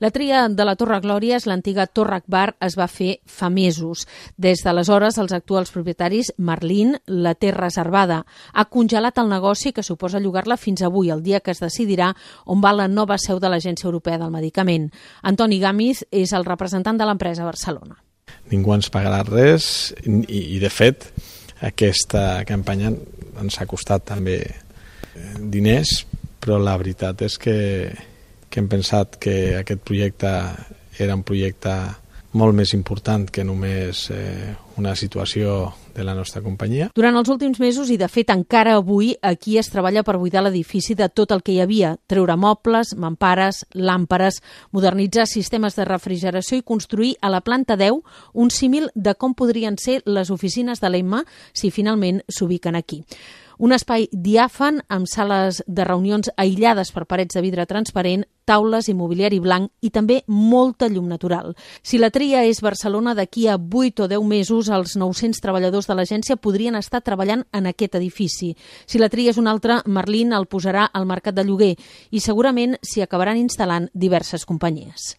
La tria de la Torre Glòries, l'antiga Torre Akbar, es va fer fa mesos. Des d'aleshores, els actuals propietaris, Merlin, la té reservada. Ha congelat el negoci, que suposa llogar-la fins avui, el dia que es decidirà on va la nova seu de l'Agència Europea del Medicament. Antoni Gàmiz és el representant de l'empresa a Barcelona. Ningú ens pagarà res i de fet, aquesta campanya ens ha costat també diners, però la veritat és que hem pensat que aquest projecte era un projecte molt més important que només una situació de la nostra companyia. Durant els últims mesos, i de fet encara avui, aquí es treballa per buidar l'edifici de tot el que hi havia, treure mobles, mampares, làmperes, modernitzar sistemes de refrigeració i construir a la planta 10 un símil de com podrien ser les oficines de l'EMMA si finalment s'ubiquen aquí. Un espai diàfan amb sales de reunions aïllades per parets de vidre transparent, taules i mobiliari blanc i també molta llum natural. Si la tria és Barcelona, d'aquí a 8 o 10 mesos els 900 treballadors de l'agència podrien estar treballant en aquest edifici. Si la tria és una altra, Merlin el posarà al mercat de lloguer i segurament s'hi acabaran instal·lant diverses companyies.